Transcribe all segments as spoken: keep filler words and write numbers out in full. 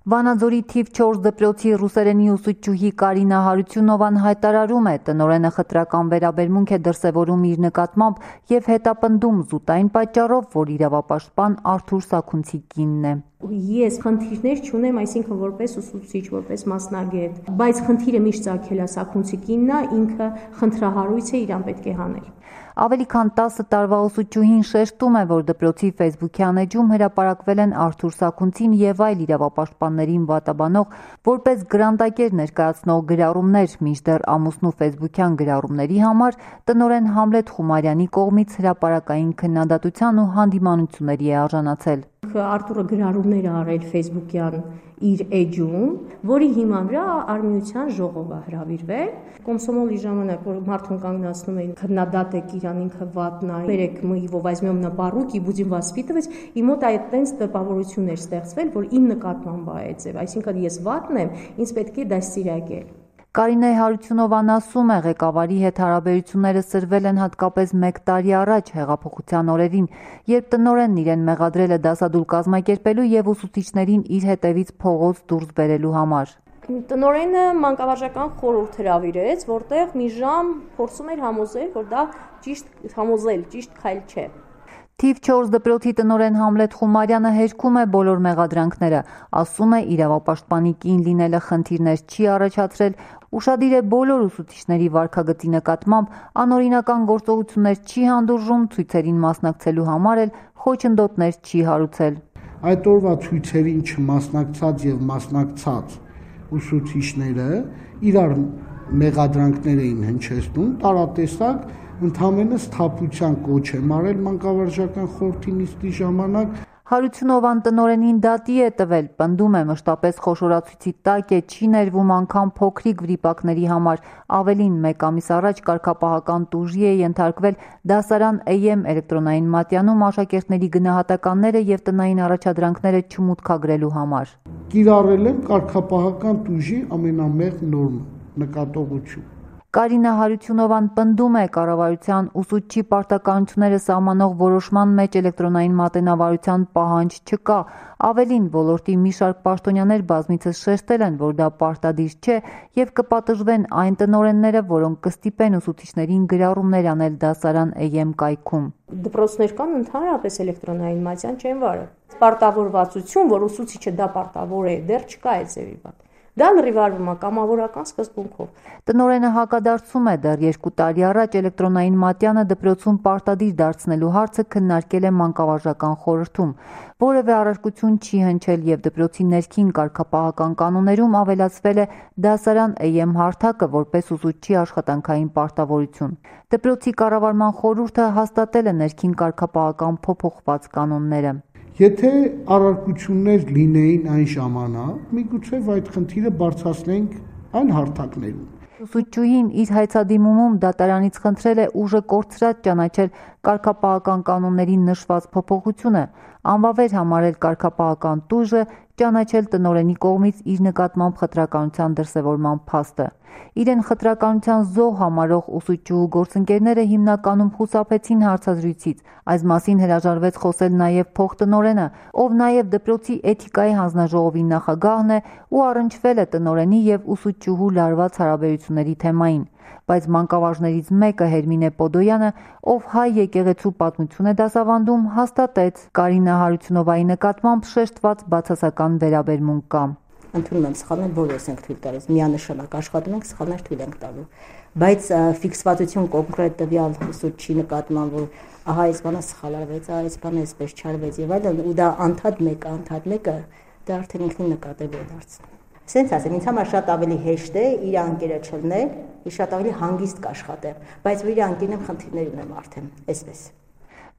Վանաձորի թիվ չորս դպրոցի ռուսերենի ուսուցչուհի Կարինա Հարությունովան հայտարարում է, տնօրենը խտրական վերաբերմունք է դրսևորում իր նկատմամբ և հետապնդում զուտային պատճառով, որ իրավապաշտպան Արթուր Սաքունցի կինն է։ Ես խնդիրներ չունեմ, այսինքն որպես ուսուցիչ, որպես մասնագետ, բայց խնդիրը միշտ ծագել է Սաքունցի կինն է, ինքը խնդրահարույց է, իրան պետք է հանել։ Ավելի քան տասը տարվա ուսուցչուհին շեշտում է, որ դպրոցի ֆեյսբուքյան էջում հրապարակվել են Արթուր Սաքունցին և այլ իրավապաշտպաններին վատաբանող, որպես գրանտակեր ներկայացնող գրառումներ, մինչդեռ ամուսնու ֆեյսբուքյան գրառումների համար տնօրեն Համլետ Խումարյանի կողմից հրապարակային քննադատության ու հանդիմանությունների է արժանացել։ Արթուրը գրառումներ է արել ֆեյսբուքյան իր էջում, որի հիման վրա Արմենիության ժողով է հրավիրվել։ Կոմսոմոլի ժամանակ, որ մարդուն կանգնացնում էին քննադատեք իրան, ինքը վատն է, բերեք мы его возьмем на поруки, будем воспитывать, ի մոտ այդտենց տպավորություններ ստեղծվել, որ իմ նկատմամբ է այդ ձև, այսինքն ես վատն եմ, ինձ պետք է դաստիարակել։ Կարինե Հարությունովան ասում է, ղեկավարի հետ հարաբերությունները սրվել են հատկապես մեկ տարի առաջ հեղափոխության օրերին, երբ տնօրենն իրեն մեղադրել է դասադուլ կազմակերպելու և ուսուցիչներին իր հետևից փողոց դուրս բերելու համար։ Տնօրենը մանկավարժական խորհուրդ հրավիրեց, որտեղ մի ժամ փորձում էր համոզել, որ դա ճիշտ համոզել, ճիշտ քայլ չէ։ Թիվ չորս դպրոցի տնօրեն Համլետ Խումարյանը հերքում է բոլոր մեղադրանքները, ասում է իրավապաշտպանի կին լինելը խնդիրներ չի առաջացրել, ուշադիր է բոլոր ուսուցիչների վարքագծի նկատմամբ, անօրինական գործողություններ չի հանդուրժում, ցույցերին մասնակցելու համար էլ խոչընդոտներ չի հարուցել։ Այդ օրվա ցույցերին չմասնակցած և մասնակցած ուսուցիչները իրար մեղադրանքներ էին հնչեցնում, տարատեսակ ընդհանրապես սթափության կոչ է մարել մանկավարժական խորհրդի նիստի ժամանակ։ Հարությունովան տնօրենին դատի է տվել, պնդում է մշտապես խոշորացույցի տակ է, չի ներվում անգամ փոքրիկ վրիպակների համար, ավելին մեկ ամիս առաջ կարգապահական տուժի է ենթարկվել դասարան Էյեմ էլեկտրոնային մատյանում աշակերտների գնահատականները և տնային առաջադրանքները չմուտքագրելու համար։ Կիրառել եմ կարգապահական տուժի ամենամեղ նորմը, նկատողություն։ Կարինա Հարությունովան պնդում է կառավարության ուսուցչի պարտականությունները սահմանող որոշման մեջ էլեկտրոնային մատենավարության պահանջ չկա, ավելին ոլորտի մի շարք պաշտոնյաներ բազմիցս շեշտել են, որ դա պարտադիր չէ և կպատժվեն այն տնօրենները, որոնք կստիպեն ուսուցիչներին գրառումներ անել դասարան Էյեմ կայքում։ Դպրոցներ կան ընդհանրապես էլեկտրոնային մատյան չեն վարը։ Պարտավորվածություն, որ ուսուցիչը դա պարտավոր է, դեռ չկա այդ ձևի բան։ Դա լրիվարվում է կամավորական սկզբունքով։ Տնօրենը հակադարձում է, դեռ երկու տարի առաջ էլեկտրոնային մատյանը դպրոցում պարտադիր դարձնելու հարցը քննարկել է մանկավարժական խորհրդում։ Որևէ առարկություն չի հնչել և դպրոցի ներքին կարգապահական կանոններում ավելացվել է դասարան Էյեմ հարթակը որպես ուսուցչի աշխատանքային պարտավորություն։ Դպրոցի կառավարման խորհուրդը հաստատել է ներքին կարգապահական փոփոխված կանոնները։ Եթե առարկություններ լինեին այն ժամանակ, միգուցե այդ խնդիրը բարձրացնենք այլ հարթակներում։ Ուսուցչուհին իր հայցադիմումում դատարանից խնդրել է ուժը կորցրած ճանաչել կարգապահական կանոններին նշված փոփոխությունը, անվավեր համարել կարգապահական տուժը, ճանաչել տնօրենի կողմից իր նկատմամբ խտրականության դրսևորման փաստը։ Իրեն խտրականության զոհ համարող ուսուցչուհու գործընկերները հիմնականում խուսափեցին հարցազրույցից, այս մասին հրաժարվեց խոսել նաև փոխտնօրենը, ով նաև դպրոցի էթիկայի հանձնաժողովի նախագահն է ու առնչվել է տնօրենի և ուսուցչուհու լարված հարաբերությունների թեմային, բայց մանկավարժներից մեկը Հերմինե Պոդոյանը, ով հայ եկեղեցու պատմություն է դասավանդում, հաստատեց Կարինա Հարությունովայի նկատմամբ շեշտված բացասական վերաբերմունք կա։ Ընդունում եմ սխալներ, բոլորս ենք թույլ տալիս, միանշանակ աշխատում ենք, սխալներ թույլ ենք տալու, բայց ֆիքսվածություն կոնկրետ տվյալ ուսուցչի նկատմամբ, որ ահա այս բանը սխալ արվեց, այս բանը այսպես չարվեց եւ այլն, ու դա անդադ մեկը, անդադ մեկը դա արդեն ինքնին նկատելի է դարձնում։ Սենց ասեմ, ինձ համար շատ ավելի հեշտ է իր անկերը չլնել, իր շատ ավելի հանգիստ կաշխատեմ, բայց որ իր անկերն եմ խնդիրներ ունեմ արդեն, այսպես։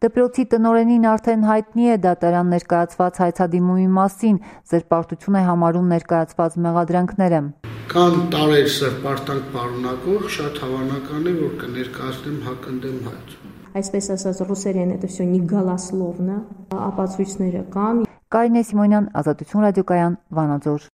Դպրոցի տնօրենին արդեն հայտնի է դատարան ներկայացված հայցադիմումի մասին, զրպարտություն է համարում ներկայացված մեղադրանքները։ Կան տարեր սրպարտանք պարունակող, շատ հավանական է, որ կներկայացնեմ հակընդդեմ հայց։ Այսպես ասած, ռուսերեն это всё не голословно, ապացույցները կան։ Կարինե Սիմոնյան, Ազատություն ռադիոկայան, Վանաձոր։